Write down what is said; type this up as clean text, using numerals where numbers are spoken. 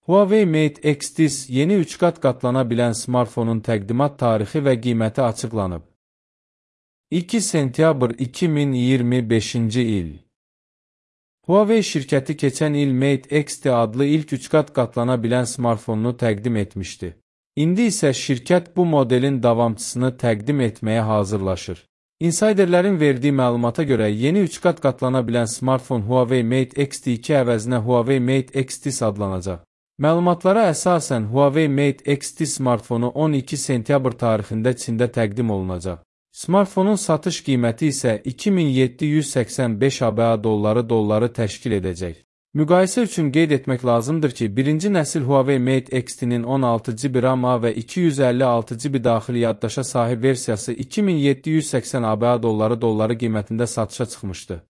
Huawei Mate X-Dis yeni 3 qat qatlana bilən smartfonun təqdimat tarixi və qiyməti açıqlanıb. 2 sentyabr 2025-ci il. Huawei şirkəti keçən il Mate X-D adlı ilk 3 qat qatlana bilən smartfonunu təqdim etmişdi. İndi isə şirkət bu modelin davamçısını təqdim etməyə hazırlaşır. Insiderlərin verdiyi məlumata görə yeni 3 qat qatlana bilən smartfon Huawei Mate X-D2 əvəzinə Huawei Mate X-Dis adlanacaq. Məlumatlara əsasən Huawei Mate X-D smartfonu 12 sentyabr tarixində Çində təqdim olunacaq. Smartfonun satış qiyməti isə 2785 ABA dolları təşkil edəcək. Müqayisə üçün qeyd etmək lazımdır ki, birinci nəsil Huawei Mate X-D'nin 16 GB RAM və 256 GB daxili yaddaşa sahib versiyası 2780 ABA dolları qiymətində satışa çıxmışdı.